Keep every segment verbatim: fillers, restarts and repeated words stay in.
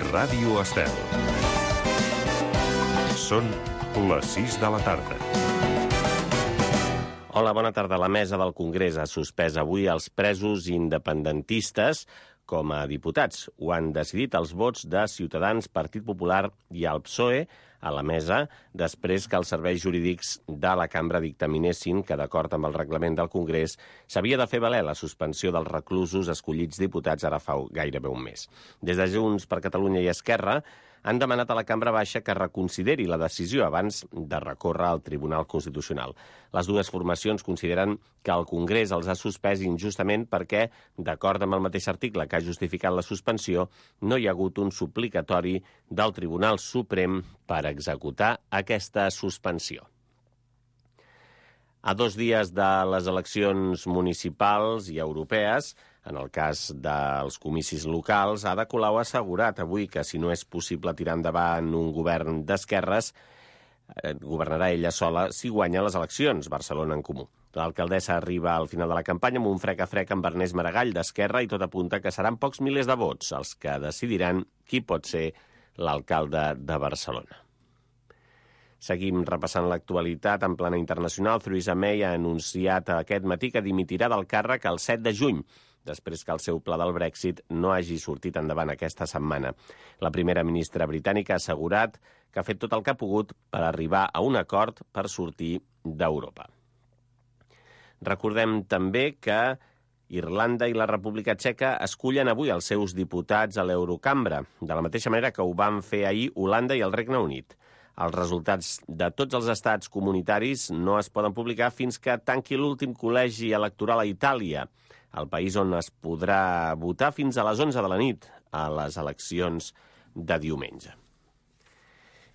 Ràdio Estel. Són les sis de la tarda. Hola, bona tarda. La mesa del Congrés ha suspès avui els presos independentistes com a diputats. Ho han decidit els vots de Ciutadans, Partit Popular i el P S O E a la mesa després que els serveis jurídics de la cambra dictaminessin que, d'acord amb el reglament del Congrés, s'havia de fer valer la suspensió dels reclusos escollits diputats ara fa gairebé un mes. Des de Junts per Catalunya i Esquerra han demanat a la cambra baixa que reconsideri la decisió abans de recórrer al Tribunal Constitucional. Les dues formacions consideren que el Congrés els ha suspès injustament perquè, d'acord amb el mateix article que ha justificat la suspensió, no hi ha hagut un suplicatori del Tribunal Suprem per executar aquesta suspensió. A dos dies de les eleccions municipals i europees, en el cas dels comicis locals, Ada Colau ha assegurat avui que si no és possible tirar endavant un govern d'esquerres, eh, governarà ella sola si guanya les eleccions, Barcelona en Comú. L'alcaldessa arriba al final de la campanya amb un frec a frec amb Ernest Maragall d'Esquerra i tot apunta que seran pocs milers de vots els que decidiran qui pot ser l'alcalde de Barcelona. Seguim repassant l'actualitat en plana internacional. Theresa May ha anunciat aquest matí que dimitirà del càrrec el set de juny, després que el seu pla del Brexit no hagi sortit endavant aquesta setmana. La primera ministra britànica ha assegurat que ha fet tot el que ha pogut per arribar a un acord per sortir d'Europa. Recordem també que Irlanda i la República Txeca escullen avui els seus diputats a l'Eurocambra, de la mateixa manera que ho van fer ahir Holanda i el Regne Unit. Els resultats de tots els estats comunitaris no es poden publicar fins que tanqui l'últim col·legi electoral a Itàlia, el país on es podrà votar fins a les onze de la nit a les eleccions de diumenge.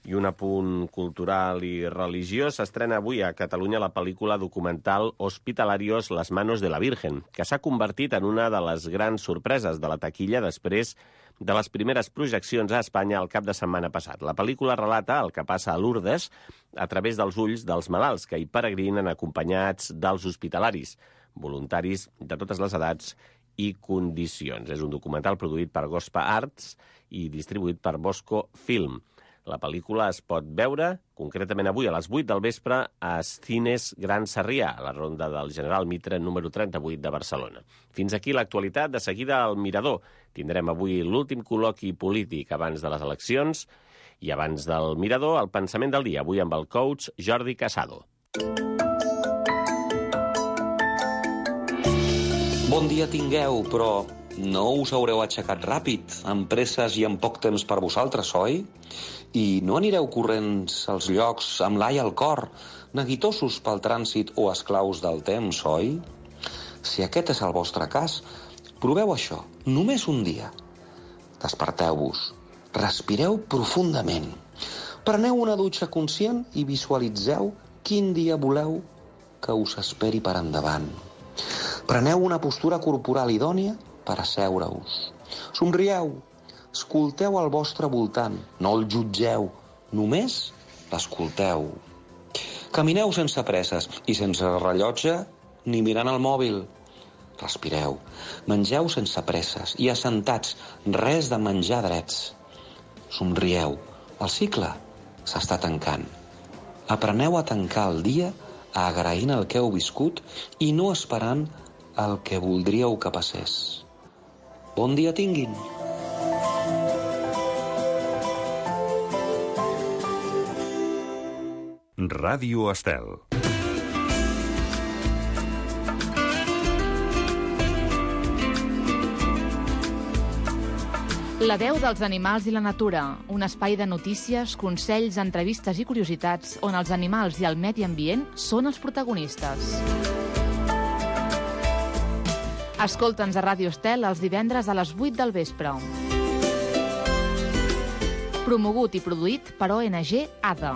I un apunt cultural i religiós: s'estrena avui a Catalunya la pel·lícula documental Hospitalarios, las manos de la Virgen, que s'ha convertit en una de les grans sorpreses de la taquilla després de les primeres projeccions a Espanya el cap de setmana passat. La pel·lícula relata el que passa a Lourdes a través dels ulls dels malalts que hi peregrinen acompanyats dels hospitalaris, voluntaris de totes les edats i condicions. És un documental produït per Gospa Arts i distribuït per Bosco Film. La pel·lícula es pot veure concretament avui a les vuit del vespre a Cines Gran Sarrià, a la ronda del General Mitre número trenta-vuit de Barcelona. Fins aquí l'actualitat. De seguida al Mirador. Tindrem avui l'últim col·loqui polític abans de les eleccions i abans del Mirador el pensament del dia, avui amb el coach Jordi Casado. Bon dia tingueu, però no us haureu aixecat ràpid, amb presses i amb poc temps per vosaltres, oi? I no anireu corrents als llocs amb l'ai al cor, neguitosos pel trànsit o esclaus del temps, oi? Si aquest és el vostre cas, proveu això, només un dia. Desperteu-vos, respireu profundament, preneu una dutxa conscient i visualitzeu quin dia voleu que us esperi per endavant. Preneu una postura corporal idònia per asseure-us. Somrieu, escolteu al vostre voltant, no el jutgeu, només l'escolteu. Camineu sense presses i sense rellotge ni mirant el mòbil. Respireu, mengeu sense presses i assentats, res de menjar drets. Somrieu, el cicle s'està tancant. Apreneu a tancar el dia agraint el que heu viscut i no esperant el que voldríeu que passés. Bon dia tinguin! Ràdio Estel. La veu dels animals i la natura, un espai de notícies, consells, entrevistes i curiositats on els animals i el medi ambient són els protagonistes. Escolta'ns a Ràdio Estel els divendres a les vuit del vespre. Promogut i produït per O N G A D A.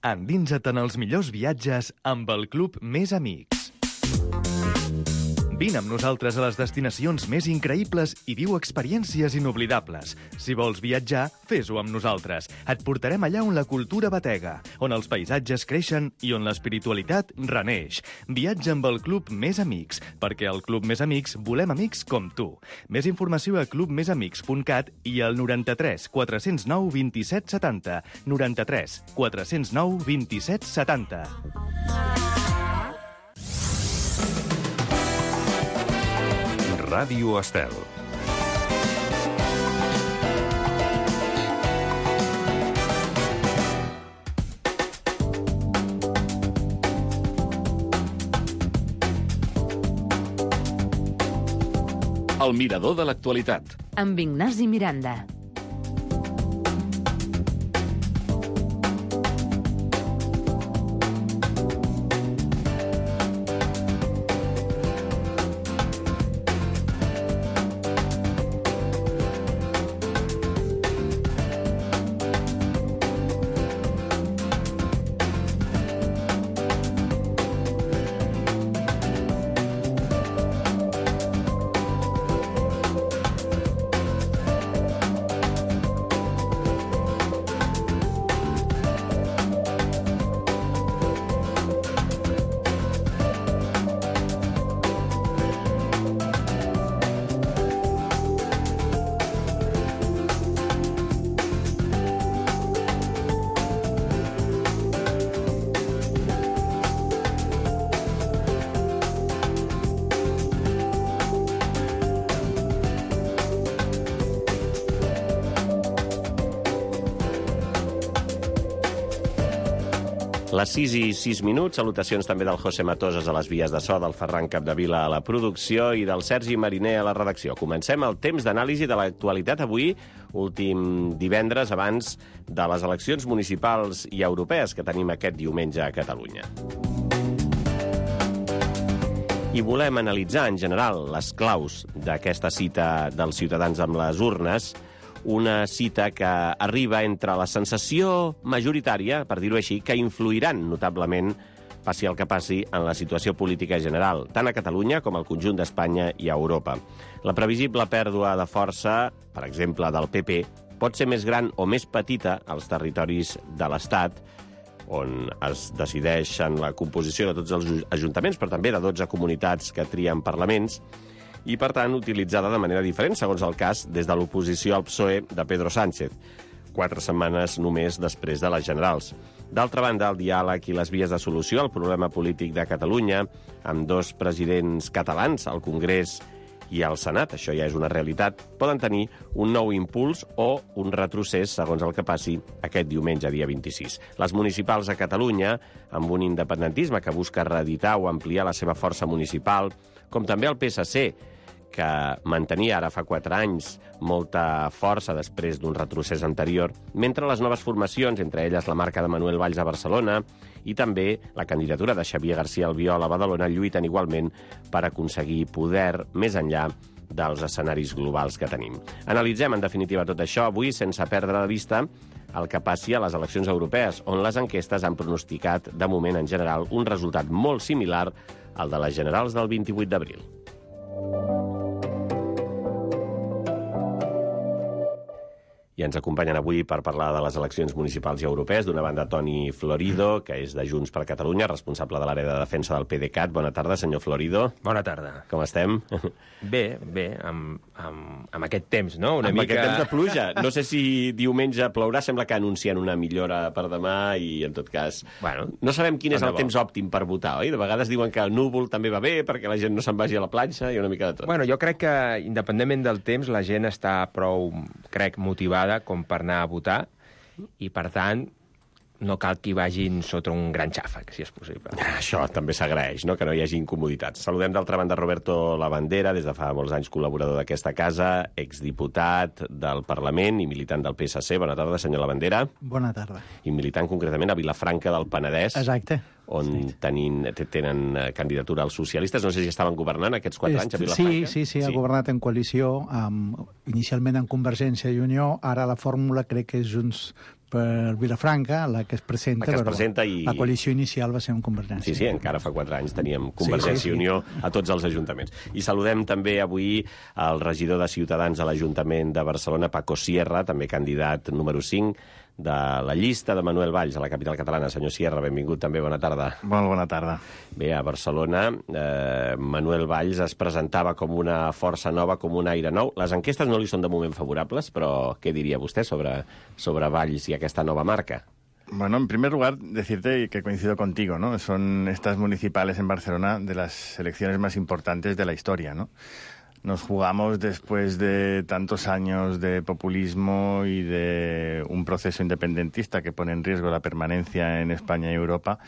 Endinsa't en els millors viatges amb el Club Més Amics. Vine amb nosaltres a les destinacions més increïbles i viu experiències inoblidables. Si vols viatjar, fes-ho amb nosaltres. Et portarem allà on la cultura batega, on els paisatges creixen i on l'espiritualitat reneix. Viatja amb el Club Més Amics, perquè al Club Més Amics volem amics com tu. Més informació a club més amics punt cat i al noranta-tres quatre cents nou vint-i-set setanta. noranta-tres quatre cents nou vint-i-set setanta. Ràdio Estel. El mirador de l'actualitat. Amb Ignasi Miranda. Les sis i sis minuts, salutacions també del José Matosas a les vies de so, del Ferran Capdevila a la producció i del Sergi Mariner a la redacció. Comencem el temps d'anàlisi de l'actualitat avui, últim divendres abans de les eleccions municipals i europees que tenim aquest diumenge a Catalunya. I volem analitzar en general les claus d'aquesta cita dels ciutadans amb les urnes, una cita que arriba entre la sensació majoritària, per dir-ho així, que influiran notablement, passi el que passi, en la situació política general, tant a Catalunya com al conjunt d'Espanya i a Europa. La previsible pèrdua de força, per exemple, del P P, pot ser més gran o més petita als territoris de l'Estat, on es decideix en la composició de tots els ajuntaments, però també de dotze comunitats que trien parlaments, i, per tant, utilitzada de manera diferent, segons el cas, des de l'oposició al P S O E de Pedro Sánchez, quatre setmanes només després de les generals. D'altra banda, el diàleg i les vies de solució al problema polític de Catalunya, amb dos presidents catalans, al Congrés i al Senat, això ja és una realitat, poden tenir un nou impuls o un retrocés, segons el que passi aquest diumenge, dia vint-i-sis. Les municipals a Catalunya, amb un independentisme que busca reeditar o ampliar la seva força municipal, com també el P S C, que mantenia ara fa quatre anys molta força després d'un retrocés anterior, mentre les noves formacions, entre elles la marca de Manuel Valls a Barcelona i també la candidatura de Xavier García Albiol a Badalona, lluiten igualment per aconseguir poder més enllà dels escenaris globals que tenim. Analitzem, en definitiva, tot això avui sense perdre de vista el que passi a les eleccions europees, on les enquestes han pronosticat, de moment en general, un resultat molt similar al de les generals del vint-i-vuit d'abril. I ens acompanyen avui per parlar de les eleccions municipals i europees. D'una banda, Toni Florido, que és de Junts per Catalunya, responsable de l'àrea de defensa del PDeCAT. Bona tarda, senyor Florido. Bona tarda. Com estem? Bé, bé, amb, amb, amb aquest temps, no? Una amb mica... aquest temps de pluja. No sé si diumenge plourà, sembla que anuncien una millora per demà i, en tot cas... Bueno, no sabem quin és el bo. temps òptim per votar, oi? De vegades diuen que el núvol també va bé perquè la gent no se'n vagi a la platja i una mica de tot. Bueno, jo crec que, independentment del temps, la gent està prou, crec, motivada com per anar a votar i, per tant, no cal que hi vagin sota un gran xàfec, si és possible. Això també s'agraeix, no?, que no hi hagi incomoditats. Saludem d'altra banda Roberto Labandera, des de fa molts anys col·laborador d'aquesta casa, exdiputat del Parlament i militant del P S C. Bona tarda, senyor Labandera. Bona tarda. I militant concretament a Vilafranca del Penedès. Exacte. On sí. tenin, tenen candidatura als socialistes. No sé si estaven governant aquests quatre anys a Vilafranca. Sí, sí, sí, ha sí. governat en coalició, amb, inicialment en Convergència i Unió, ara la fórmula crec que és Junts per Vilafranca, la que es presenta, la, que es però presenta i... la coalició inicial va ser amb Convergència. Sí, sí, encara fa quatre anys teníem Convergència sí, sí, sí. i Unió a tots els ajuntaments. I saludem també avui el regidor de Ciutadans a l'Ajuntament de Barcelona, Paco Sierra, també candidat número cinc de la llista de Manuel Valls a la capital catalana. Senyor Sierra, benvingut també, bona tarda. Molt bona tarda. Bé, a Barcelona, eh, Manuel Valls es presentava com una força nova, com un aire nou. Les enquestes no li són de moment favorables, però què diria vostè sobre, sobre Valls i aquesta nova marca? Bueno, en primer lugar, decirte que coincido contigo, ¿no? Son estas municipales en Barcelona de las elecciones más importantes de la historia, ¿no? Nos jugamos, después de tantos años de populismo y de un proceso independentista que pone en riesgo la permanencia en España y Europa,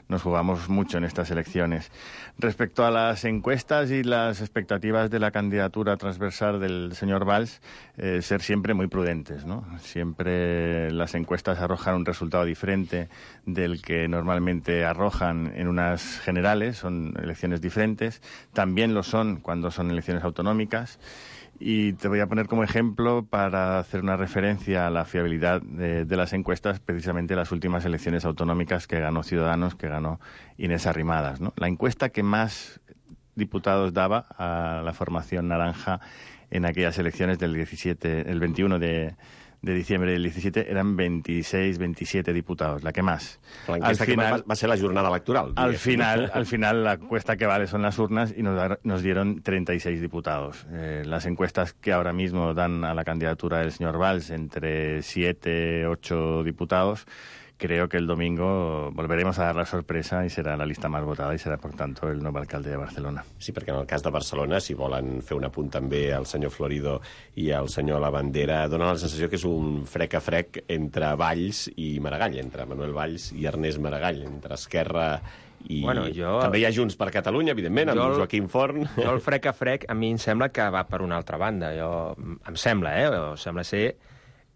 nos jugamos mucho en estas elecciones. Respecto a las encuestas y las expectativas de la candidatura transversal del señor Valls, eh, ser siempre muy prudentes, ¿no? Siempre las encuestas arrojan un resultado diferente del que normalmente arrojan en unas generales, son elecciones diferentes. También lo son cuando son elecciones autonómicas. Y te voy a poner como ejemplo, para hacer una referencia a la fiabilidad de, de las encuestas, precisamente las últimas elecciones autonómicas que ganó Ciudadanos, que ganó Inés Arrimadas, ¿no? La encuesta que más diputados daba a la formación naranja en aquellas elecciones del diecisiete, el veintiuno de, de diciembre del diecisiete eran veintiséis, veintisiete diputados, la que más. La encuesta al final, que va a ser la jornada electoral. Al final, al final la encuesta que vale son las urnas y nos, da, nos dieron treinta y seis diputados. Eh, las encuestas que ahora mismo dan a la candidatura del señor Valls entre siete, ocho diputados, creo que el domingo volveremos a dar la sorpresa i serà la llista més votada i serà, per tant, el nou alcalde de Barcelona. Sí, perquè en el cas de Barcelona, si volen fer un apunt també al senyor Florido i al senyor Lavandera, dona la sensació que és un frec a frec entre Valls i Maragall, entre Manuel Valls i Ernest Maragall, entre Esquerra i... Bueno, jo... També hi ha Junts per Catalunya, evidentment, amb el... Joaquim Forn. Jo el frec a frec, a mi em sembla que va per una altra banda. Jo... Em sembla, eh? O sembla ser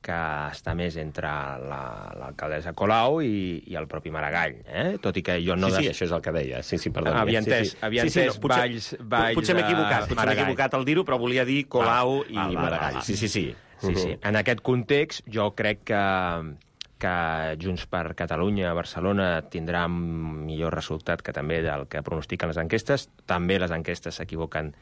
que està més entre l'alcaldessa la, Colau i, i el propi Maragall, eh? Tot i que jo no... Sí, sí, des... això és el que deia. Sí, sí, perdó. Havia entès, sí, sí. havia sí, sí, entès no, potser, Valls, Valls... Potser m'he equivocat, potser m'he equivocat al dir-ho, però volia dir Colau val, i val, Maragall. Val, val. Sí, sí, sí. sí, sí. En aquest context, jo crec que, que Junts per Catalunya a Barcelona tindrà un millor resultat que també del que pronostiquen les enquestes. També les enquestes s'equivoquen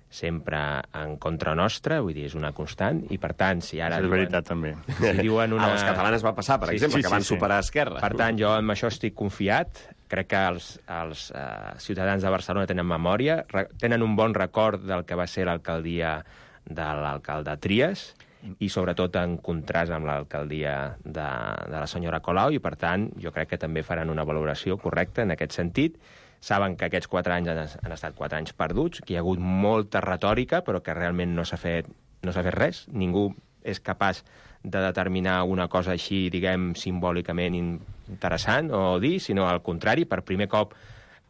sempre en contra nostra, vull dir, és una constant, i per tant, si ara... És diuen, veritat, també. Si diuen una... A les catalanes va passar, per sí, exemple, sí, que van sí, superar sí. Esquerra. Per tant, jo amb això estic confiat. Crec que els, els uh, ciutadans de Barcelona tenen memòria, tenen un bon record del que va ser l'alcaldia de l'alcalde Trias, i sobretot en contrast amb l'alcaldia de, de la senyora Colau, i per tant, jo crec que també faran una valoració correcta en aquest sentit. Saben que aquests quatre anys han, han estat quatre anys perduts, que hi ha hagut molta retòrica, però que realment no s'ha fet, no s'ha fet res. Ningú és capaç de determinar una cosa així, diguem, simbòlicament interessant o dir, sinó al contrari, per primer cop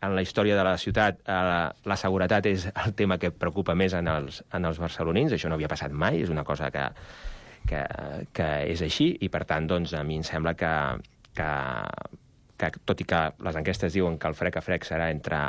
en la història de la ciutat eh, la, la seguretat és el tema que preocupa més en els, en els barcelonins. Això no havia passat mai, és una cosa que, que, que és així, i per tant, doncs, a mi em sembla que... que que tot i que les enquestes diuen que el frec a frec serà entre,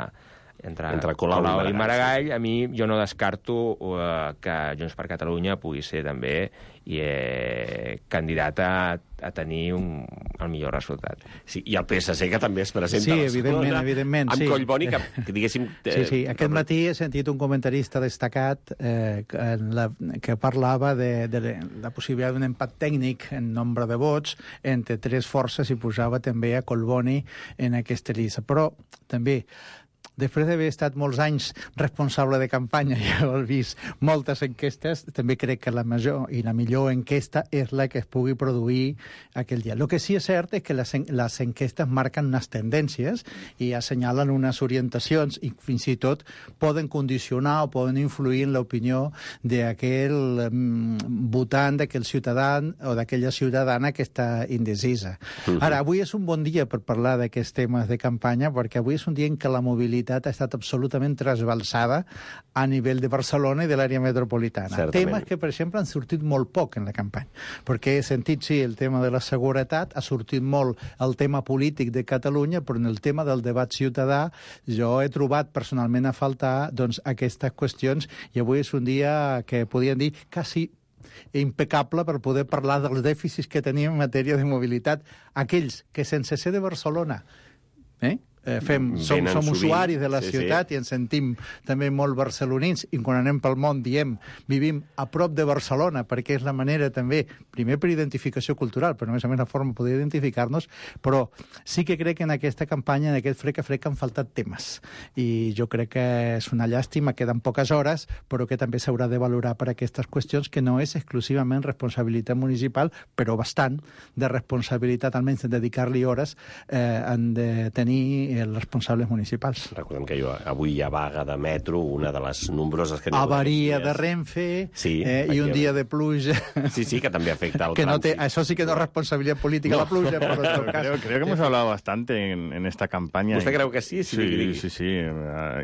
entre, entre Colau, Colau i Maragall, i Maragall, sí. A mi jo no descarto uh, que Junts per Catalunya pugui ser també i, eh, candidat a, a tenir un, el millor resultat. Sí, i el P S C, que també es presenta sí, a Barcelona, evidentment, evidentment, amb sí. Collboni, que, que diguéssim... Eh, sí, sí, aquest matí he sentit un comentarista destacat eh, en la, que parlava de, de la possibilitat d'un empat tècnic en nombre de vots entre tres forces i posava també a Collboni en aquesta llista. Però també després d'haver estat molts anys responsable de campanya i haver vist moltes enquestes, també crec que la major i la millor enquesta és la que es pugui produir aquell dia. El que sí és cert és que les, les enquestes marquen unes tendències i assenyalen unes orientacions i fins i tot poden condicionar o poden influir en l'opinió d'aquell mm, votant, d'aquell ciutadà o d'aquella ciutadana que està indecisa. Uh-huh. Ara, avui és un bon dia per parlar d'aquests temes de campanya, perquè avui és un dia en què la mobilitat ha estat absolutament trasbalsada a nivell de Barcelona i de l'àrea metropolitana. Certament. Temes que, per exemple, han sortit molt poc en la campanya, perquè he sentit, sí, el tema de la seguretat, ha sortit molt el tema polític de Catalunya, però en el tema del debat ciutadà jo he trobat personalment a faltar doncs, aquestes qüestions, i avui és un dia que podríem dir quasi impecable per poder parlar dels dèficits que tenim en matèria de mobilitat. Aquells que sense ser de Barcelona eh? Eh, fem, som, som usuaris de la sí, ciutat sí. I ens sentim també molt barcelonins i quan anem pel món diem vivim a prop de Barcelona perquè és la manera també, primer per identificació cultural, però a més a més la forma de poder identificar-nos, però sí que crec que en aquesta campanya, en aquest frec a frec han faltat temes i jo crec que és una llàstima, queden poques hores, però que també s'haurà de valorar per aquestes qüestions que no és exclusivament responsabilitat municipal, però bastant de responsabilitat, almenys de dedicar-li hores, eh, han de tenir els responsables municipals. Recordem que jo, avui hi ha vaga de metro, una de les nombroses que... Avaria de Renfe sí, eh, i un dia de pluja. Sí, sí, que també afecta el que no té, trànsit. Això sí que no es responsabilitat política, no. La pluja, por otro caso. Creo, creo que hemos hablado bastante en, en esta campaña. ¿Usted cree que sí? Sí, sí, sí, sí.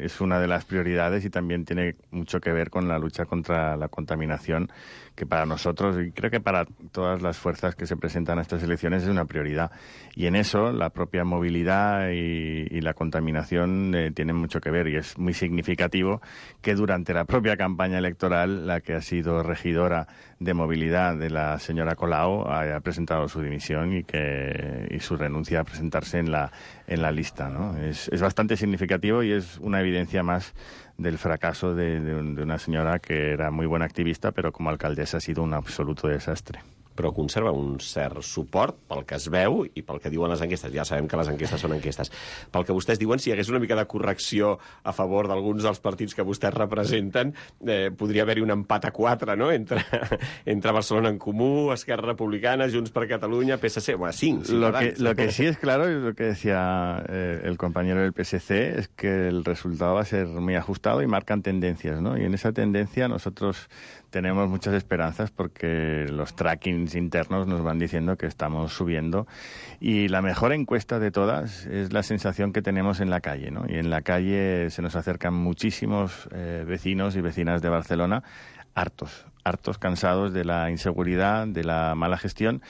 Es una de las prioridades y también tiene mucho que ver con la lucha contra la contaminación, que para nosotros, y creo que para todas las fuerzas que se presentan a estas elecciones, es una prioridad. Y en eso la propia movilidad y, y la contaminación eh, tienen mucho que ver. Y es muy significativo que durante la propia campaña electoral, la que ha sido regidora de movilidad de la señora Colau haya presentado su dimisión y que y su renuncia a presentarse en la, en la lista, ¿no? Es, es bastante significativo y es una evidencia más del fracaso de, de, de una señora que era muy buena activista, pero como alcaldesa ha sido un absoluto desastre. Però conserva un cert suport pel que es veu i pel que diuen les enquestes. Ja sabem que les enquestes són enquestes. Pel que vostès diuen, si hi hagués una mica de correcció a favor d'alguns dels partits que vostès representen, eh, podria haver-hi un empat a quatre, no?, entre, entre Barcelona en Comú, Esquerra Republicana, Junts per Catalunya, P S C, bueno, cinc. Lo que, lo que sí es claro, y lo que decía eh, el compañero del P S C, es que el resultado va a ser muy ajustado y marcan tendencias, ¿no? Y en esa tendencia nosotros tenemos muchas esperanzas porque los trackings internos nos van diciendo que estamos subiendo y la mejor encuesta de todas es la sensación que tenemos en la calle, ¿no? Y en la calle se nos acercan muchísimos eh, vecinos y vecinas de Barcelona hartos, hartos, cansados de la inseguridad, de la mala gestión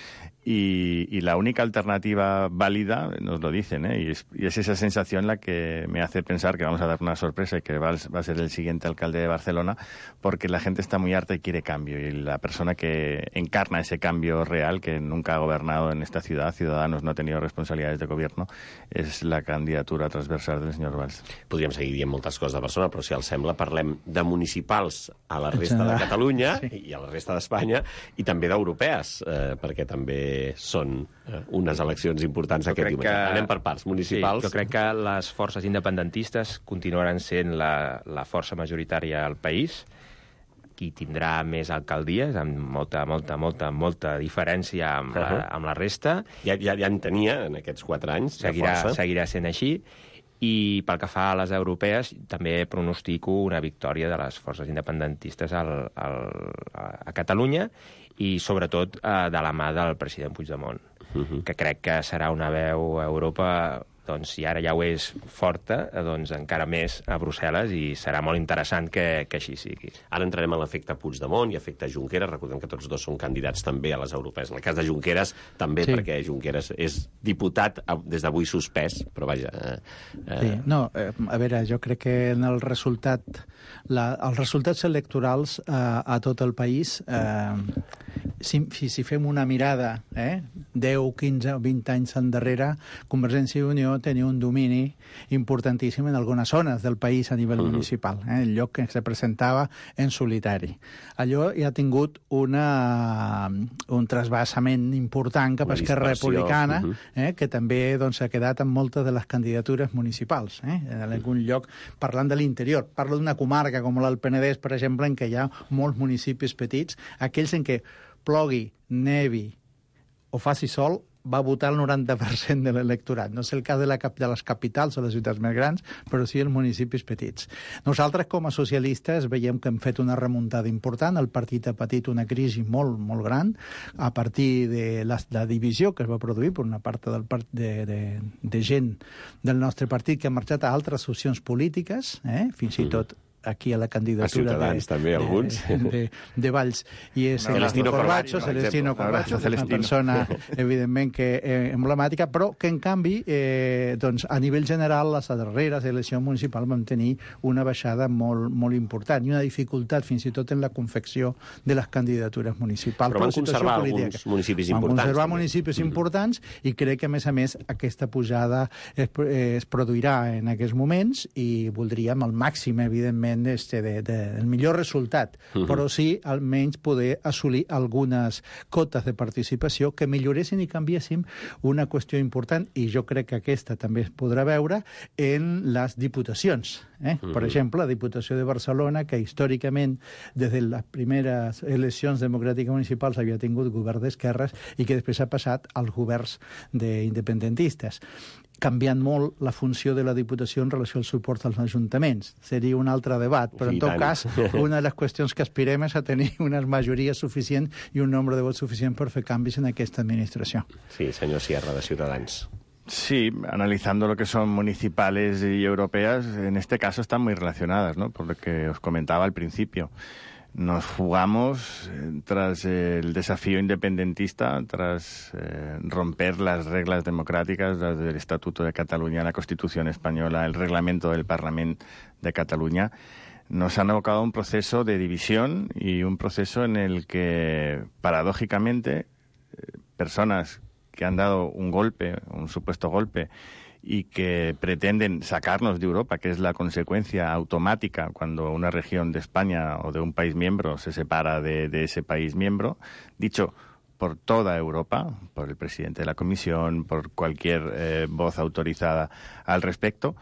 y, y la única alternativa válida, nos lo dicen, ¿eh? y, es, y es esa sensación la que me hace pensar que vamos a dar una sorpresa y que va, va a ser el siguiente alcalde de Barcelona, porque la gente está muy harta y quiere cambio, y la persona que encarna ese cambio real, que nunca ha gobernado en esta ciudad, Ciudadanos no ha tenido responsabilidades de gobierno, és la candidatura transversal del senyor Valls. Podríem seguir dient moltes coses de Barcelona, però si els sembla parlem de municipals a la resta de Catalunya sí. i a la resta d'Espanya, i també d'europees, eh, perquè també són eh, unes eleccions importants aquest diumenge. Que... Anem per parts, municipals. Sí, jo crec que les forces independentistes continuaran sent la, la força majoritària al país, qui tindrà més alcaldies, amb molta, molta, molta, molta diferència amb, uh -huh. la, amb la resta. Ja, ja, ja en tenia en aquests quatre anys. Seguirà, seguirà sent així. I pel que fa a les europees, també pronostico una victòria de les forces independentistes al, al, a Catalunya i, sobretot, eh, de la mà del president Puigdemont, uh-huh. que crec que serà una veu a Europa, doncs, si ara ja ho és forta, doncs encara més a Brussel·les, i serà molt interessant que, que així sigui. Ara entrarem en l'efecte Puigdemont i efecte Junqueras. Recordem que tots dos són candidats també a les europees. En el cas de Junqueras, també, sí. perquè Junqueras és diputat des d'avui suspès, però vaja... Eh, eh... Sí. No, eh, a veure, jo crec que en el resultat... La, els resultats electorals eh, a tot el país, eh, si, si fem una mirada eh, deu, quinze o vint anys endarrere, Convergència i Unió tenia un domini importantíssim en algunes zones del país a nivell uh-huh. municipal, eh, el lloc que se presentava en solitari. Allò ja ha tingut una, un trasbassament important cap a Esquerra Republicana, uh-huh. eh, que també doncs, ha quedat amb moltes de les candidatures municipals. Eh, en algun lloc, parlant de l'interior, parlo d'una comarca com l'Alt Penedès, per exemple, en què hi ha molts municipis petits, aquells en què plogui, nevi o faci sol, va votar el noranta per cent de l'electorat. No és el cas de, la, de les capitals o les ciutats més grans, però sí els municipis petits. Nosaltres, com a socialistes, veiem que hem fet una remuntada important. El partit ha patit una crisi molt, molt gran a partir de la, la divisió que es va produir per una part del part de, de, de gent del nostre partit que ha marxat a altres opcions polítiques, eh? fins i tot aquí a la candidatura... A Ciutadans, de, també, de, alguns. De, de, de Valls, i és Celestino Corbacho, Corbacho, Celestino Corbacho, que és una persona, evidentment, que eh, emblemàtica, però que, en canvi, eh, doncs, a nivell general, les darreres eleccions municipals van tenir una baixada molt, molt important i una dificultat, fins i tot, en la confecció de les candidatures municipals. Però van conservar alguns municipis importants. Van conservar també. municipis importants i crec que, a més a més, aquesta pujada es, es produirà en aquests moments i voldríem al màxim, evidentment, este de, de, el millor resultat, uh-huh. però sí, almenys, poder assolir algunes cotes de participació que milloressin i canviessin una qüestió important, i jo crec que aquesta també es podrà veure en les diputacions. Eh? Uh-huh. Per exemple, la Diputació de Barcelona, que històricament, des de les primeres eleccions democràtiques municipals, havia tingut govern d'esquerres i que després ha passat als governs d'independentistes, canviant molt la funció de la Diputació en relació al suport als ajuntaments. Seria un altre debat, però en tot cas, una de les qüestions que aspirem és a tenir una majoria suficient i un nombre de vots suficient per fer canvis en aquesta administració. Sí, senyor Sierra, de Ciutadans. Sí, analizando lo que son municipales y europeas, en este caso están muy relacionadas, ¿no? Por lo que os comentaba al principio. Nos jugamos, eh, tras el desafío independentista, tras eh, romper las reglas democráticas, las del Estatuto de Cataluña, la Constitución española, el reglamento del Parlamento de Cataluña, nos han abocado a un proceso de división y un proceso en el que, paradójicamente, eh, personas que han dado un golpe, un supuesto golpe, y que pretenden sacarnos de Europa, que es la consecuencia automática cuando una región de España o de un país miembro se separa de, de ese país miembro, dicho por toda Europa, por el presidente de la Comisión, por cualquier eh, voz autorizada al respecto.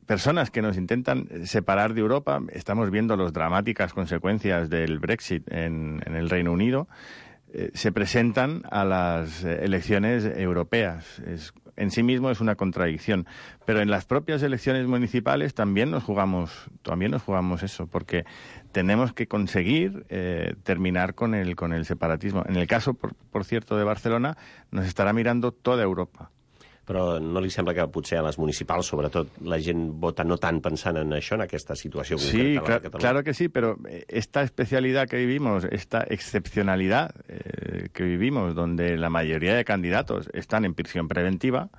Personas que nos intentan separar de Europa, estamos viendo las dramáticas consecuencias del Brexit en, en el Reino Unido, eh, se presentan a las elecciones europeas. Es, en sí mismo es una contradicción, pero en las propias elecciones municipales también nos jugamos, también nos jugamos eso, porque tenemos que conseguir eh, terminar con el, con el separatismo. En el caso, por, por cierto, de Barcelona, nos estarà mirando toda Europa. Però no li sembla que potser a les municipals, sobretot, la gent vota no tant pensant en això, en aquesta situació concreta? Sí, cl- claro que sí, pero esta especialidad que vivimos, esta excepcionalidad eh, que vivimos, donde la mayoría de candidatos están en prisión preventiva,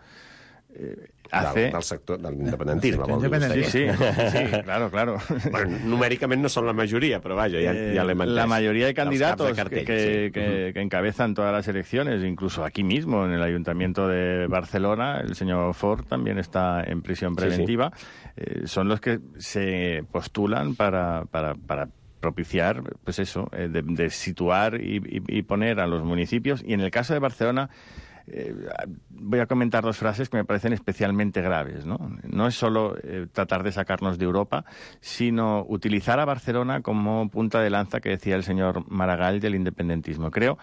eh, hace... Del, del sector del independentisme, vol dir vostè. Sí, sí, sí, claro, claro. Bueno, numèricament no són la majoria, pero vaya, ya, ya le La mayoría de candidatos de cartell, que, sí. que, uh-huh. que encabezan todas las elecciones, incluso aquí mismo, en el Ayuntamiento de Barcelona, el señor Ford también está en prisión preventiva, sí, sí. Eh, son los que se postulan para... para, para propiciar, pues eso, eh, de, de situar y, y, y poner a los municipios. Y en el caso de Barcelona, Eh, voy a comentar dos frases que me parecen especialmente graves, ¿no? No es solo eh, tratar de sacarnos de Europa, sino utilizar a Barcelona como punta de lanza, que decía el señor Maragall, del independentismo. Creo,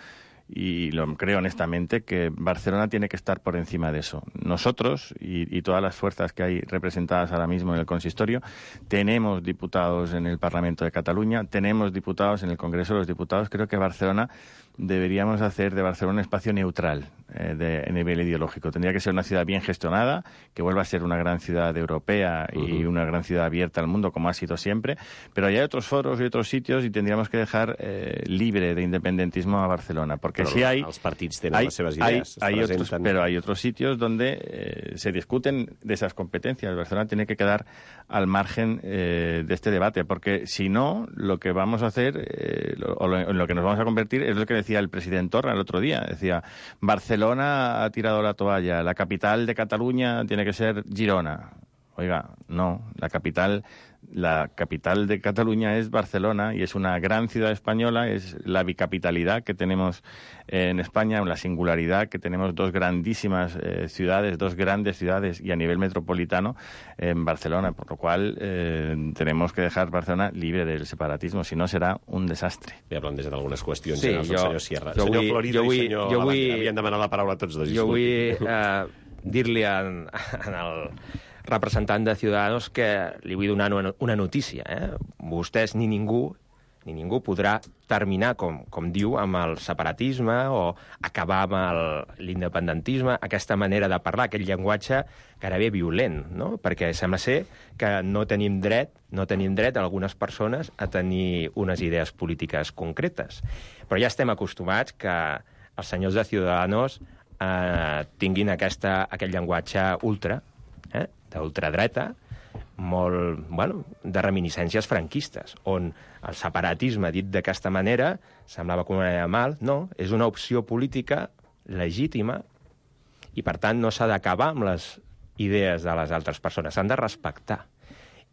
y lo creo honestamente, que Barcelona tiene que estar por encima de eso. Nosotros, y, y todas las fuerzas que hay representadas ahora mismo en el consistorio, tenemos diputados en el Parlamento de Cataluña, tenemos diputados en el Congreso de los Diputados. Creo que Barcelona deberíamos hacer de Barcelona un espacio neutral eh, de, a nivel ideológico. Tendría que ser una ciudad bien gestionada, que vuelva a ser una gran ciudad europea y uh-huh. una gran ciudad abierta al mundo, como ha sido siempre. Pero hay otros foros y otros sitios y tendríamos que dejar eh, libre de independentismo a Barcelona. Porque pero si hay... Els partits tenen hay, les seves hay, idees. hay otros, pero hay otros sitios donde eh, se discuten de esas competencias. Barcelona tiene que quedar al margen eh, de este debate, porque si no, lo que vamos a hacer, eh, lo, o lo, en lo que nos vamos a convertir, es lo que decía el presidente Torra el otro día. Decía, Barcelona ha tirado la toalla, la capital de Cataluña tiene que ser Girona. Oiga, no, la capital... La capital de Cataluña es Barcelona y es una gran ciudad española, es la bicapitalidad que tenemos en España, la singularidad que tenemos dos grandísimas eh, ciudades, dos grandes ciudades y a nivel metropolitano en Barcelona, por lo cual eh, tenemos que dejar Barcelona libre del separatismo, si no serà un desastre. Ja plantejat algunes qüestions, sí, ja, el jo, senyor Sierra. Jo senyor vull, Florido jo vull, i senyor jo vull, Abad, havien demanat la paraula tots dos. Jo vull eh, dir-li en, en el representant de Ciudadanos que li vull donar una, una notícia. Eh? Vostès ni ningú ni ningú podrà terminar, com, com diu, amb el separatisme o acabar amb l'independentisme, aquesta manera de parlar, aquest llenguatge gairebé violent, no? Perquè sembla ser que no tenim dret no tenim dret, algunes persones, a tenir unes idees polítiques concretes. Però ja estem acostumats que els senyors de Ciudadanos eh, tinguin aquesta, aquest llenguatge ultra, eh, d'ultradreta, molt, bueno, de reminiscències franquistes, on el separatisme, dit d'aquesta manera, semblava com una manera mal. No, és una opció política legítima i, per tant, no s'ha d'acabar amb les idees de les altres persones, s'han de respectar.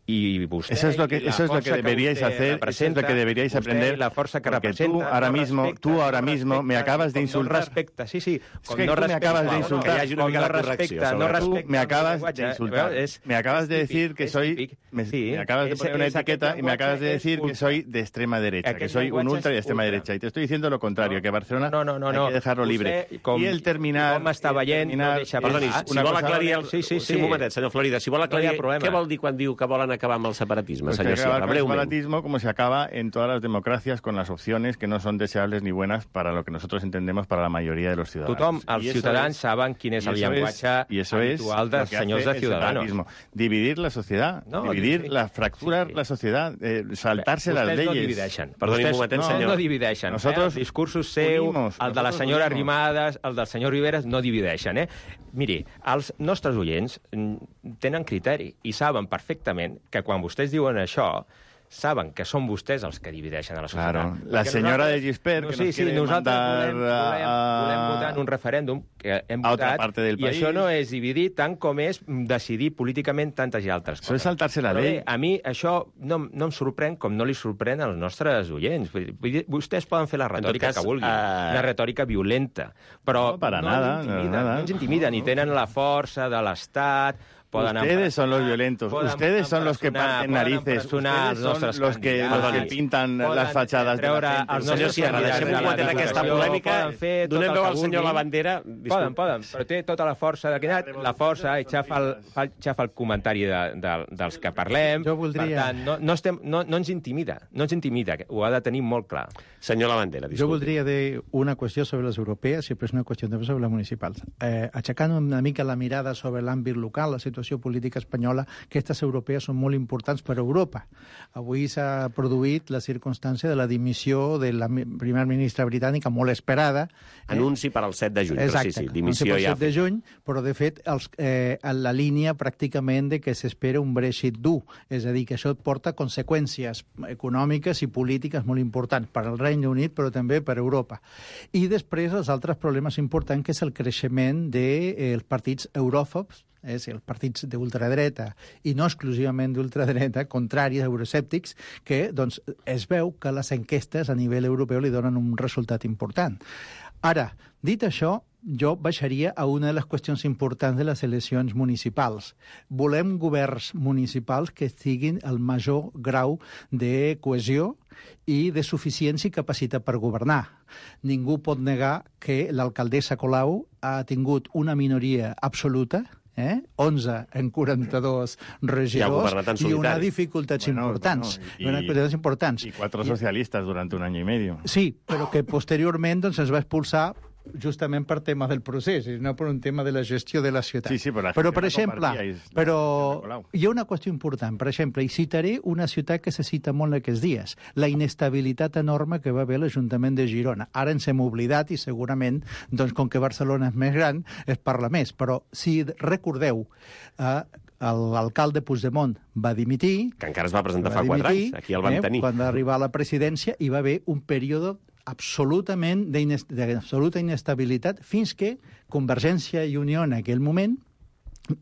Y usted, eso es lo que, eso es lo que deberíais que hacer, eso es lo que deberíais aprender, la fuerza que porque tú ahora no mismo, respecta, tú ahora no mismo me acabas de insultar. No respecta, sí, sí. Es que no tú me acabas de insultar. Que hi hagi una mica de correcció. No respecta, me acabas de insultar. Es, me acabas de decir que soy, me, sí, me acabas de poner una etiqueta y me acabas de decir que soy de extrema derecha, que soy un ultra y de extrema derecha. Y te estoy diciendo lo contrario, que Barcelona no, no, no, hay no. que dejarlo libre. Com, I el terminar... Com està veient, no deixa... Perdoni, si vol aclarir... Sí, sí, sí. Un momentet, senyor Florida, si vol aclarir... Què vol dir quan diu que volen acabar amb el separatisme, senyor Sierra? El separatismo, como se acaba en todas las democracias, con las opciones que no son deseables ni buenas para lo que nosotros entendemos para la mayoría de los ciudadanos. Tothom, els ciutadans saben quin és el llenguatge habitual dels senyors de Ciudadanos. Dividir la sociedad, no, dividir, sí, la fracturar sí, sí. la sociedad, eh, saltarse Vostès las leyes. No divideixen. Perdoni un momentet, no, senyor. No divideixen. Nosotros eh? El discursos seu, unimos, el de la senyora unimos. Arrimadas, el del senyor Riveras, no divideixen. Eh? Miri, els nostres oients tenen criteri i saben perfectament que quan vostès diuen això, saben que són vostès els que divideixen a la societat. Claro. La senyora de Gispert, no, que sí, nos sí, quiere nosaltres mandar volem, volem, a... volem votar en un referèndum que hem a votat, otra parte del i país. això no és dividir tant com és decidir políticament tantes i altres coses. Això és saltar-se la Però llei. Bé, a mi això no, no em sorprèn com no li sorprèn als nostres oients. Vull dir, vostès poden fer la retòrica cas, que vulguin, uh... una retòrica violenta, però no, para no, nada, ens intimiden, nada. no ens intimiden, ni tenen la força de l'Estat. Ustedes son los violentos, ustedes son los que parten narices, ustedes son los que, los que pintan las fachadas de la gente. Senyor Sierra, deixem un moment en aquesta polèmica. Donem veu al senyor Lavandera. Poden, poden, però té tota la força de Quinat, la força, i xafa el, xafa el comentari de, de, dels que parlem. Jo voldria... Per tant, no, no, estem, no, no ens intimida, no ens intimida, ho ha de tenir molt clar. Senyor Lavandera, disculpi. Jo voldria dir una qüestió sobre les europees i després una qüestió també sobre les municipals. Eh, aixecant una mica la mirada sobre l'àmbit local, la situació política espanyola, aquestes europees són molt importants per a Europa. Avui s'ha produït la circumstància de la dimissió de la primera ministra britànica, molt esperada. Anunci per al set de juny, Exacte, però sí, sí, dimissió anunci per al ja. set de juny, però de fet els, eh, en la línia pràcticament de que s'espera un Brexit dur, és a dir, que això porta conseqüències econòmiques i polítiques molt importants per al Regne Unit, però també per a Europa. I després els altres problemes importants, que és el creixement dels de, eh, partits euròfobs, és els partits d'ultradreta i no exclusivament d'ultradreta, contraris, euroscèptics, que doncs, es veu que les enquestes a nivell europeu li donen un resultat important. Ara, dit això, jo baixaria a una de les qüestions importants de les eleccions municipals. Volem governs municipals que siguin el major grau de cohesió i de suficiència i capacitat per governar. Ningú pot negar que l'alcaldessa Colau ha tingut una minoria absoluta, Eh? onze en quaranta-dos regidors i, i una dificultats bueno, importants. Bueno, y, una dificultats importants. Y cuatro socialistas durante un año y medio. Sí, però que posteriorment doncs, es va expulsar justament per tema del procés, i no per un tema de la gestió de la ciutat. Sí, sí, però, però per exemple, però la hi ha una qüestió important. Per exemple, i citaré una ciutat que se cita molt aquests dies, la inestabilitat enorme que va haver l'Ajuntament de Girona. Ara ens hem oblidat i segurament, doncs, com que Barcelona és més gran, es parla més. Però si recordeu, eh, l'alcalde Puigdemont va dimitir... Que encara es va presentar va fa quatre anys, aquí el vam eh, tenir. Quan va arribar a la presidència hi va haver un període absolutament d'absoluta inestabilitat fins que Convergència i Unió en aquell moment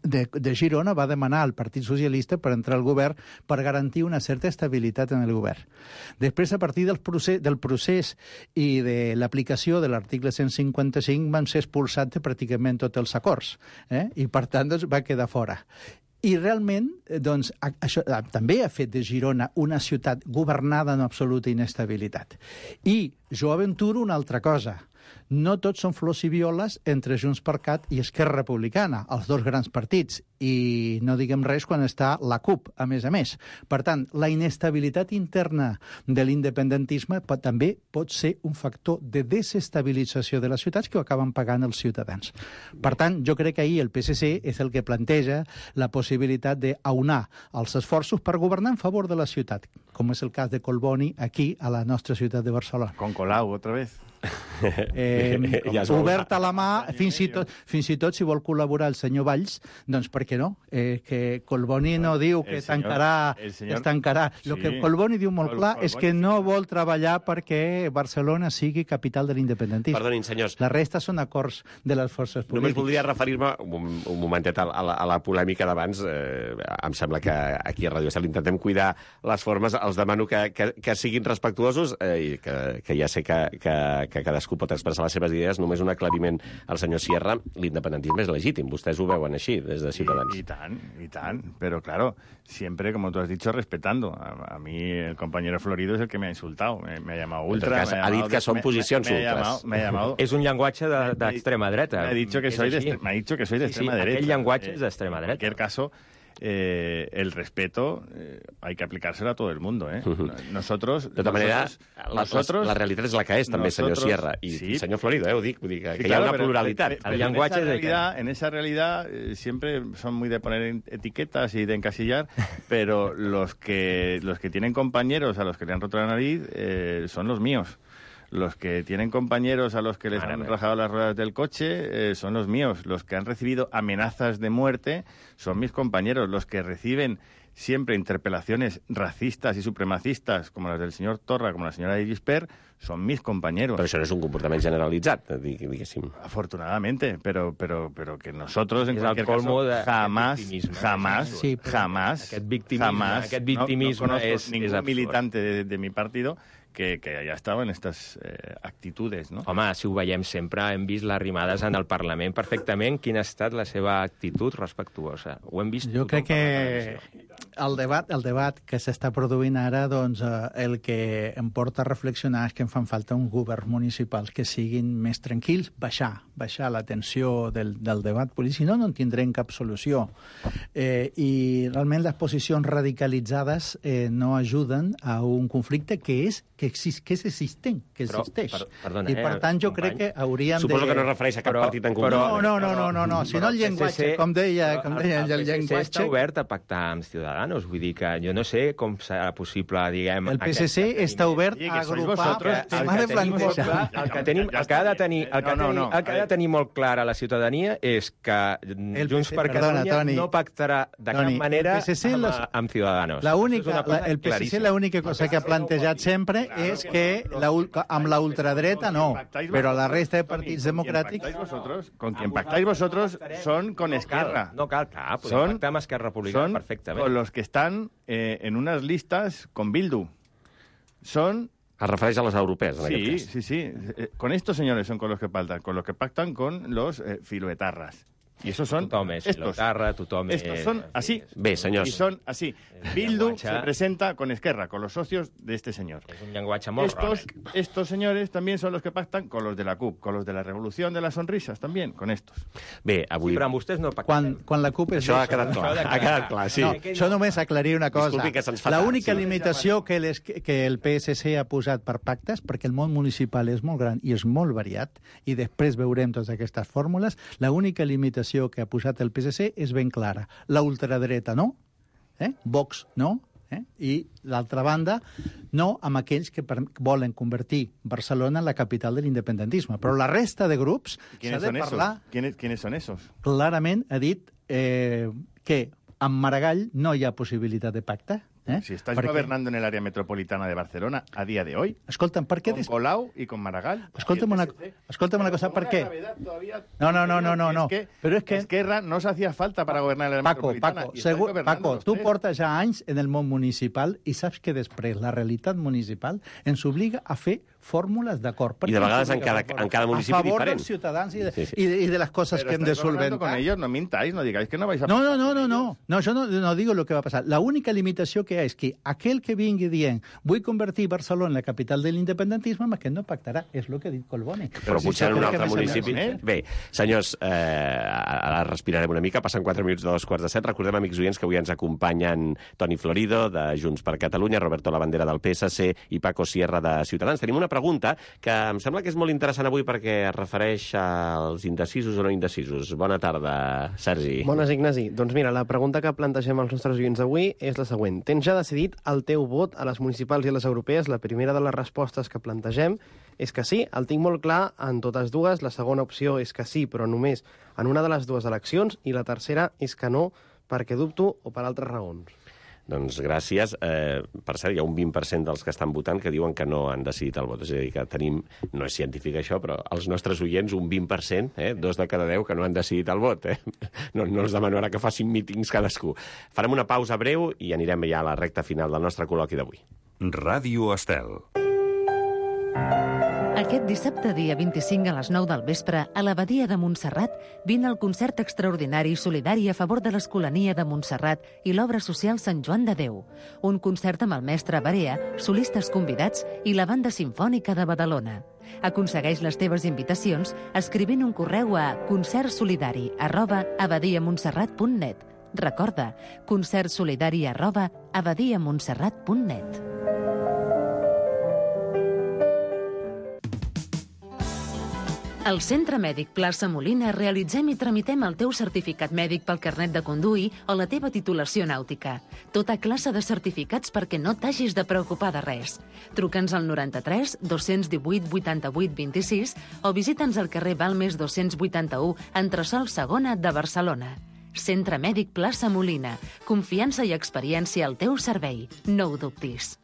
de, de Girona va demanar al Partit Socialista per entrar al govern per garantir una certa estabilitat en el govern. Després, a partir del procés, del procés i de l'aplicació de l'article cent cinquanta-cinc van ser expulsats de pràcticament tots els acords, eh? I per tant doncs, va quedar fora. I realment, doncs, això també ha fet de Girona una ciutat governada en absoluta inestabilitat. I jo aventuro una altra cosa. no tots són flors i violes entre JxCat i Esquerra Republicana, els dos grans partits, i no diguem res quan està la CUP, a més a més. Per tant, la inestabilitat interna de l'independentisme pot, també pot ser un factor de desestabilització de les ciutats que ho acaben pagant els ciutadans. Per tant, jo crec que ahir el P S C és el que planteja la possibilitat d'aunar els esforços per governar en favor de la ciutat, com és el cas de Collboni aquí, a la nostra ciutat de Barcelona. Con Colau, otra vez. Eh, ja obert a la mà, fins i, tot, fins i tot si vol col·laborar el senyor Valls, doncs per què no? Eh, que Collboni no diu que senyor, tancarà, senyor, es tancarà. Sí. El que Collboni diu molt clar Col, és que no vol treballar perquè Barcelona sigui capital de l'independentisme. Perdonin, senyors. La resta són acords de les forces polítiques. Només voldria referir-me un, un momentet a, a, la, a la polèmica d'abans. Eh, em sembla que aquí a Radio Estel intentem cuidar les formes. Els demano que, que, que siguin respectuosos eh, i que, que ja sé que, que, que cadascú pot expressar les seves idees. Només un aclariment al senyor Sierra. L'independentisme és legítim. Vostès ho veuen així, des de Ciutadans. I, i tant, i tant. Pero claro, siempre, como tú has dicho, respetando. A, a mí el compañero Florido es el que me ha insultado. Me, me ha llamado ultra. Cas, ha dit que són posicions me, me, me ultres. Ha llamado, me ha llamado, és un llenguatge d'extrema de, dreta. Me ha dicho que soy de, me ha dicho que soy de sí, extrema sí, derecha. Aquell llenguatge és d'extrema dreta. En cualquier caso, Eh, el respeto eh, hay que aplicárselo a todo el mundo, ¿eh? Uh-huh. Nosotros... De tota manera, nosotros, la, la realitat és la que és, també, nosotros, senyor Sierra. I sí, senyor Florido, eh, ho dic, ho dic que sí, hi ha claro, una pluralitat. Pero, pero, pero el llenguatge en esa realidad, de... en esa realidad eh, siempre son muy de poner etiquetas y de encasillar, pero los que, los que tienen compañeros a los que le han roto la nariz eh, son los míos. Los que tienen compañeros a los que les han rajado las ruedas del coche eh, son los míos. Los que han recibido amenazas de muerte son mis compañeros. Los que reciben siempre interpelaciones racistas y supremacistas, como las del señor Torra, como la señora Irisper, son mis compañeros. Pero eso no es un comportament generalitzat, diguéssim. Afortunadamente, pero, pero, pero que nosotros, en cualquier caso, jamás, jamás, sí, jamás, aquest victimisme, jamás, aquest victimisme no, no és, ningún és militante de, de mi partido que, que haya estado en estas eh, actitudes, no? Home, si ho veiem sempre, hem vist les rimades en el Parlament perfectament quina ha estat la seva actitud respectuosa. Ho hem vist jo crec que el debat, el debat que s'està produint ara, doncs, eh, el que em porta a reflexionar és que em fan falta uns governs municipals que siguin més tranquils, baixar, baixar la tensió del, del debat polític, si no, no en tindrem cap solució. Eh, I realment les posicions radicalitzades eh, no ajuden a un conflicte que és que, exist, que és existent, que però, existeix. Per, perdona, I per tant jo crec que haurien Suposo de... que no es refereix a cap però, partit en concret. No, no, no, no, no, no. Si no el llenguatge, com deia, com deia el, el llenguatge... està obert a pactar amb Ciudadanos, vull dir que jo no sé com serà possible, diguem... El P S C està obert a agrupar el tema de plantejar. El que tenim, el que ha de tenir, el que no, no, el que ha de tenir molt clar a la ciutadania és que Junts per Catalunya no pactarà de cap manera amb, amb Ciudadanos. La única, la, el P S C l'única cosa que ha plantejat sempre és que la, amb la ultradreta no, però la resta de partits democràtics... Vosotros, con quien pactáis vosotros son con Esquerra. No cal, clar, podem pactar amb Esquerra Republicana perfectament. Con los que están eh, en unas listas con Bildu. Son... Es refereix a les europees, en sí, aquest cas. Sí, sí, sí. Con estos señores son con los que pactan, con los que pactan con los eh, filoetarras. Y esos son tothom és estos. Filotarra, tothom és... Estos son así. Bé, senyors. Y son así. Bildu se presenta con Esquerra, con los socios de este señor. És un llenguatge molt estos, estos señores también son los que pactan con los de la CUP, con los de la Revolución de las Sonrisas también, con estos. Bé, avui... Sí, però amb vostès no pacten. Quan, quan la CUP és... Això ha quedat clar, ha quedat clar, sí. No, això només aclarir una cosa. Disculpi que se'ns fa la tard, única sí. limitació que, les, que el P S C ha posat per pactes, perquè el món municipal és molt gran i és molt variat, i després veurem totes aquestes fórmules, la única limitació que ha posat el P S C és ben clara. La ultradreta no, eh? Vox no, eh? I l'altra banda no amb aquells que per, volen convertir Barcelona en la capital de l'independentisme. Però la resta de grups s'ha de parlar... ¿Quiénes, ¿Quiénes son esos? Clarament ha dit eh, que amb Maragall no hi ha possibilitat de pacte. Eh? Si estáis gobernando en el área metropolitana de Barcelona a día de hoy, escolta'm, per què con Colau y con Maragall. Escolta'm una, escolta'm una cosa, ¿per qué? No, no, no, no, no, no. Es que Pero es que Esquerra no se hacía falta para gobernar el área Paco, metropolitana. Paco, segur, Paco, tu portes ja anys en el món municipal i saps que després la realitat municipal ens obliga a fer fórmules d'acord. I de vegades en cada, en cada municipi diferent. A favor diferent. dels ciutadans i de, sí, sí. y, de, y de las cosas Pero que hem de estáis hablando solventar. con ellos, no mintáis, no digáis que no vais a... No, no, no, no, no. No, jo no, no digo lo que va a passar. La única limitació que hi ha és que aquell que vingui dient vull convertir Barcelona en la capital de l'independentisme, amb aquest no pactarà. És el que ha dit Collboni. Però potser en un altre que municipi... Eh? Bé, senyors, eh, ara respirarem una mica, passen quatre minuts de dos quarts de set. Recordem, amics oients, que avui ens acompanyen Toni Florido, de Junts per Catalunya, Roberto Labandera, del P S C, i Paco Sierra, de Ciutadans. Tenim una pregunta que em sembla que és molt interessant avui perquè es refereix als indecisos o no indecisos. Bona tarda, Sergi. Bones, Ignasi. Doncs mira, la pregunta que plantegem als nostres oients avui és la següent. Tens ja decidit el teu vot a les municipals i a les europees? La primera de les respostes que plantegem és que sí, el tinc molt clar en totes dues. La segona opció és que sí, però només en una de les dues eleccions. I la tercera és que no, perquè dubto o per altres raons. Doncs gràcies. Eh, per cert, hi ha un vint per cent dels que estan votant que diuen que no han decidit el vot. És a dir, que tenim, no és científic això, però els nostres oients, un vint per cent, eh, dos de cada deu que no han decidit el vot. Eh? No, no els demano ara que facin mítings cadascú. Farem una pausa breu i anirem ja a la recta final del nostre col·loqui d'avui. Ràdio Estel. Aquest dissabte, dia vint-i-cinc a les nou del vespre, a l'Abadia de Montserrat, vine al concert extraordinari i solidari a favor de l'Escolania de Montserrat i l'obra social Sant Joan de Déu. Un concert amb el mestre Barea, solistes convidats i la Banda Simfònica de Badalona. Aconsegueix les teves invitacions escrivint un correu a concertsolidari arroba abadiamontserrat punt net. Recorda, concertsolidari arroba abadiamontserrat punt net. Al Centre Mèdic Plaça Molina realitzem i tramitem el teu certificat mèdic pel carnet de conduir o la teva titulació nàutica. Tota classe de certificats perquè no t'hagis de preocupar de res. Truca'ns al noranta-tres dos-cents divuit vuitanta-vuit vint-i-sis o visita'ns al carrer Balmes dos-cents vuitanta-u, entresòl segona de Barcelona. Centre Mèdic Plaça Molina. Confiança i experiència al teu servei. No ho dubtis.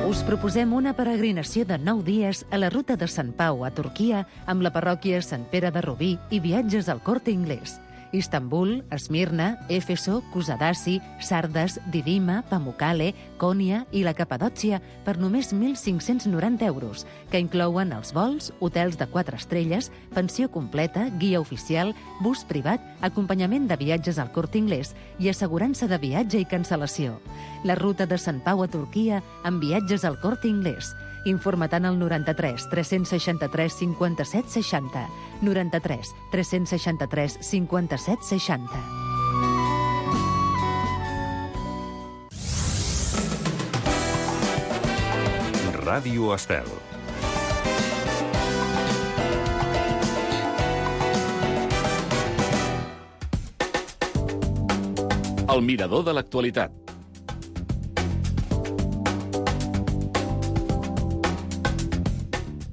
Us proposem una peregrinació de nou dies a la ruta de Sant Pau a Turquia amb la parròquia Sant Pere de Rubí i viatges al Corte Inglés. Istanbul, Esmirna, Éfeso, Kusadasi, Sardes, Didima, Pamukkale, Konya i la Capadòcia per només mil cinc-cents noranta euros, que inclouen els vols, hotels de quatre estrelles, pensió completa, guia oficial, bus privat, acompanyament de viatges al Corte Inglés i assegurança de viatge i cancel·lació. La ruta de Sant Pau a Turquia amb viatges al Corte Inglés. Informa-te'n al noranta-tres tres-cents seixanta-tres cinquanta-set seixanta. noranta-tres tres-cents seixanta-tres cinquanta-set seixanta. Ràdio Estel. El mirador de l'actualitat.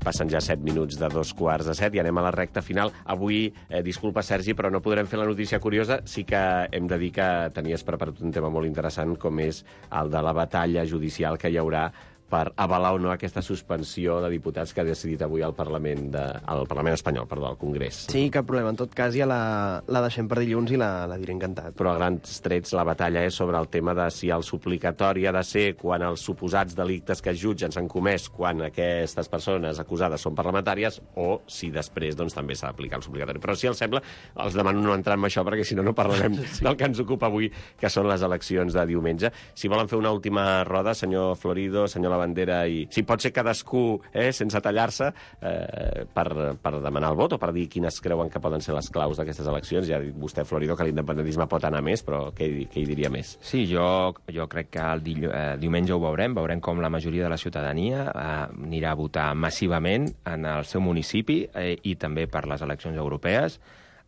Passen ja set minuts de dos quarts de set i anem a la recta final. Avui, eh, disculpa, Sergi, però no podrem fer la notícia curiosa. Sí que hem de dir que tenies preparat un tema molt interessant, com és el de la batalla judicial que hi haurà per avalar o no aquesta suspensió de diputats que ha decidit avui el Parlament, de, el Parlament espanyol, perdó, el Congrés. Sí, cap problema. En tot cas, ja la, la deixem per dilluns i la, la diré encantat. Però a grans trets la batalla és sobre el tema de si el suplicatori ha de ser quan els suposats delictes que es jutgen s'han comès quan aquestes persones acusades són parlamentàries o si després doncs, també s'ha d'aplicar el suplicatori. Però si els sembla, els demano no entrar en això perquè si no no parlarem sí. del que ens ocupa avui, que són les eleccions de diumenge. Si volen fer una última roda, senyor Florido, senyor Labandera, i si pot ser cadascú, eh, sense tallar-se, eh, per, per demanar el vot o per dir quines creuen que poden ser les claus d'aquestes eleccions. Ja ha dit vostè, Florido, que l'independentisme pot anar més, però què, què hi diria més? Sí, jo, jo crec que el di, eh, diumenge ho veurem, veurem com la majoria de la ciutadania eh, anirà a votar massivament en el seu municipi eh, i també per les eleccions europees,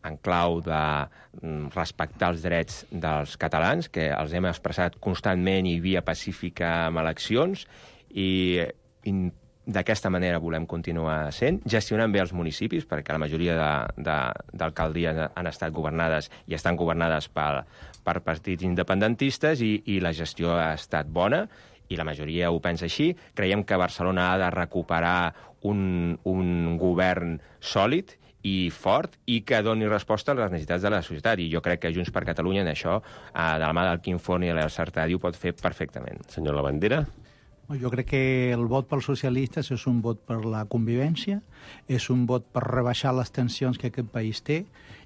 en clau de respectar els drets dels catalans, que els hem expressat constantment i via pacífica amb eleccions, i, i d'aquesta manera volem continuar sent, gestionant bé els municipis, perquè la majoria d'alcaldies han estat governades i estan governades per, per partits independentistes i, i la gestió ha estat bona, i la majoria ho pensa així. Creiem que Barcelona ha de recuperar un, un govern sòlid i fort i que doni resposta a les necessitats de la societat. I jo crec que Junts per Catalunya en això, eh, de la mà del Quim Forn i de la Sartadi, ho pot fer perfectament. Senyor Labandera? Jo crec que el vot pels socialistes és un vot per la convivència, és un vot per rebaixar les tensions que aquest país té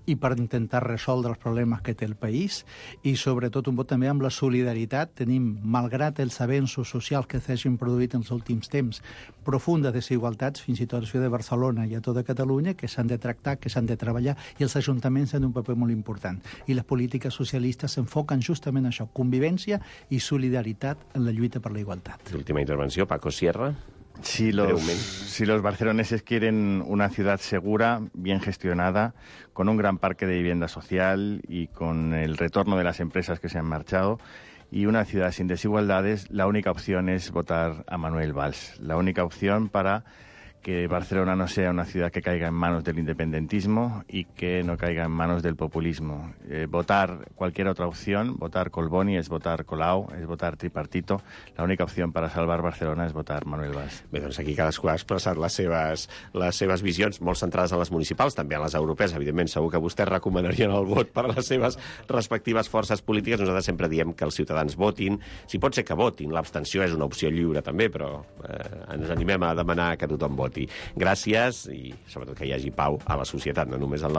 i per intentar resoldre els problemes que té el país, i sobretot un vot també amb la solidaritat. Tenim, malgrat els avenços socials que s'hagin produït en els últims temps, profundes desigualtats, fins i tot a la ciutat de Barcelona i a tota Catalunya, que s'han de tractar, que s'han de treballar, i els ajuntaments tenen un paper molt important. I les polítiques socialistes s'enfoquen justament en això, convivència i solidaritat en la lluita per la igualtat. Última intervenció, Paco Sierra. Si los, si los barceloneses quieren una ciudad segura, bien gestionada, con un gran parque de vivienda social y con el retorno de las empresas que se han marchado, y una ciudad sin desigualdades, la única opción es votar a Manuel Valls. La única opción para que Barcelona no sea una ciudad que caiga en manos del independentismo y que no caiga en manos del populismo. Eh, votar cualquier otra opción, votar Colboni, es votar Colau, es votar tripartito. La única opción para salvar Barcelona és votar Manuel Valls. Bé, doncs aquí cadascú ha expressat les seves, les seves visions, molt centrades en les municipals, també en les europees. Evidentment, segur que vostès recomanarien el vot per a les seves respectives forces polítiques. Nosaltres sempre diem que els ciutadans votin. Si pot ser que votin, l'abstenció és una opció lliure també, però eh, ens animem a demanar que tothom voti. Gràcies i sobretot que hi hagi pau a la societat, no només en la